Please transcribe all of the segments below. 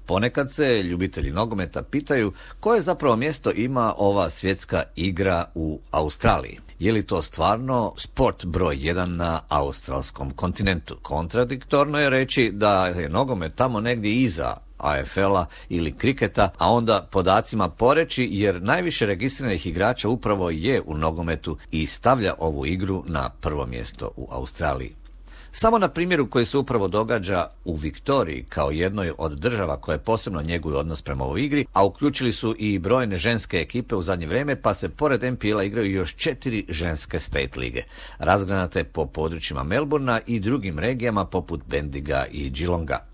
Ponekad se ljubitelji nogometa pitaju koje zapravo mjesto ima ova svjetska igra u Australiji. Je li to stvarno sport broj 1 na australskom kontinentu? Kontradiktorno je reći da je nogomet tamo negdje iza AFL-a ili kriketa, a onda podacima poreći, jer najviše registriranih igrača upravo je u nogometu i stavlja ovu igru na prvo mjesto u Australiji. Samo na primjeru koji se upravo događa u Viktoriji kao jednoj od država koje posebno njeguju odnos prema ovoj igri, a uključili su i brojne ženske ekipe u zadnje vrijeme, pa se pored NPL-a igraju još 4 ženske state lige, razgranate po područjima Melbourna i drugim regijama poput Bendiga i Geelonga.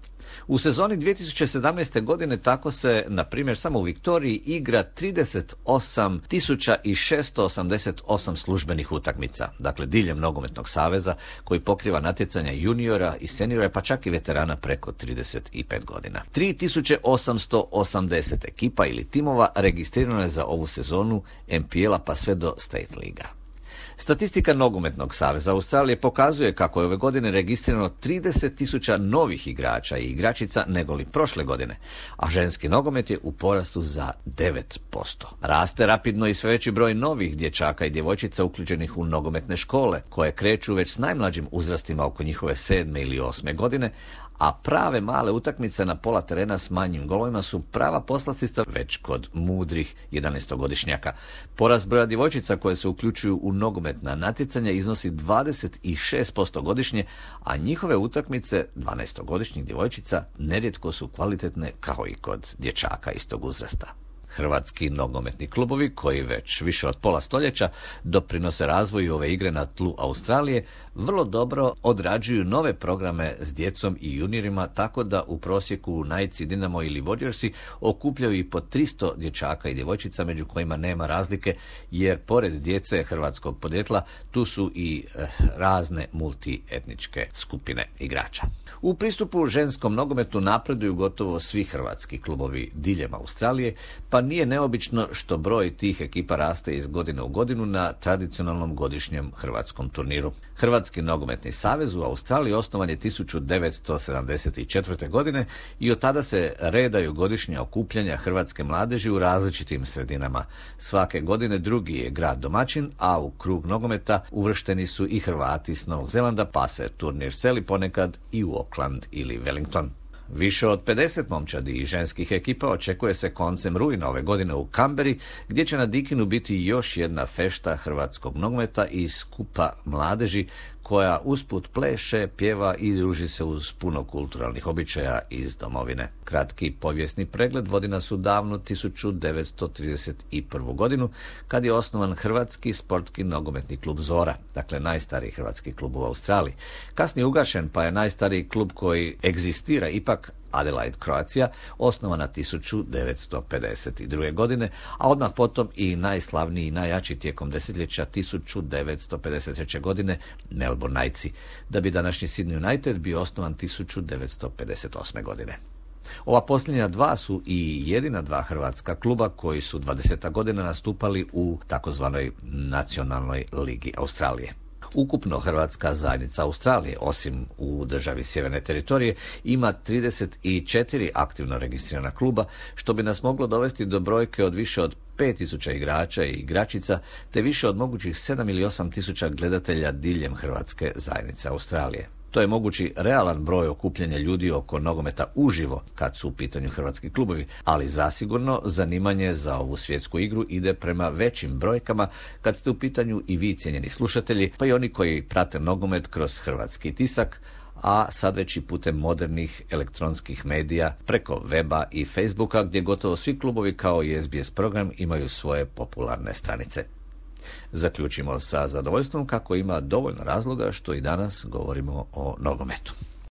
U sezoni 2017. godine tako se, na primjer, samo u Viktoriji igra 38.688 službenih utakmica, dakle diljem nogometnog saveza koji pokriva natjecanja juniora i seniora, pa čak i veterana preko 35 godina. 3880 ekipa ili timova registrirano je za ovu sezonu NPL-a pa sve do State liga. Statistika Nogometnog saveza Australije pokazuje kako je ove godine registrirano 30.000 novih igrača i igračica nego li prošle godine, a ženski nogomet je u porastu za 9%. Raste rapidno i sve veći broj novih dječaka i djevojčica uključenih u nogometne škole, koje kreću već s najmlađim uzrastima oko njihove 7. ili 8. godine, a prave male utakmice na pola terena s manjim golovima su prava poslastica već kod mudrih 11-godišnjaka. Porast broja djevojčica koje se uključuju u nogometna natjecanja iznosi 26% godišnje, a njihove utakmice 12-godišnjih djevojčica nerijetko su kvalitetne kao i kod dječaka istog uzrasta. Hrvatski nogometni klubovi, koji već više od pola stoljeća doprinose razvoju ove igre na tlu Australije, vrlo dobro odrađuju nove programe s djecom i juniorima, tako da u prosjeku Knights, Dinamo ili Warriorsi okupljaju i po 300 dječaka i djevojčica, među kojima nema razlike, jer pored djece hrvatskog podrijetla tu su i razne multietničke skupine igrača. U pristupu ženskom nogometu napreduju gotovo svi hrvatski klubovi diljem Australije, pa nije neobično što broj tih ekipa raste iz godine u godinu na tradicionalnom godišnjem hrvatskom turniru. Hrvatski nogometni savez u Australiji osnovan je 1974. godine i od tada se redaju godišnja okupljanja hrvatske mladeži u različitim sredinama. Svake godine drugi je grad domaćin, a u krug nogometa uvršteni su i Hrvati s Novog Zelanda, pa se turnir seli ponekad i u Auckland ili Wellington. Više od 50 momčadi i ženskih ekipa očekuje se koncem rujna ove godine u Kamberi, gdje će na Dikinu biti još jedna fešta hrvatskog nogometa i skupa mladeži koja usput pleše, pjeva i druži se uz puno kulturalnih običaja iz domovine. Kratki povijesni pregled vodi nas u davnu 1931. godinu, kad je osnovan Hrvatski sportski nogometni klub Zora, dakle najstariji hrvatski klub u Australiji. Kasnije ugašen, pa je najstariji klub koji egzistira ipak Adelaide Croatia, osnovana 1952. godine, a odmah potom i najslavniji i najjači tijekom desetljeća 1953. godine Melbourne Knightsi, da bi današnji Sydney United bio osnovan 1958. godine. Ova posljednja dva su i jedina dva hrvatska kluba koji su 20 godina nastupali u takozvanoj nacionalnoj ligi Australije. Ukupno hrvatska zajednica Australije, osim u državi Sjeverne teritorije, ima 34 aktivno registrirana kluba, što bi nas moglo dovesti do brojke od više od 5000 igrača i igračica, te više od mogućih 7 ili 8000 gledatelja diljem hrvatske zajednice Australije. To je mogući realan broj okupljanja ljudi oko nogometa uživo kad su u pitanju hrvatski klubovi, ali zasigurno zanimanje za ovu svjetsku igru ide prema većim brojkama kad ste u pitanju i vi, cijenjeni slušatelji, pa i oni koji prate nogomet kroz hrvatski tisak, a sad već i putem modernih elektronskih medija preko weba i Facebooka, gdje gotovo svi klubovi kao i SBS program imaju svoje popularne stranice. Zaključimo sa zadovoljstvom kako ima dovoljno razloga što i danas govorimo o nogometu.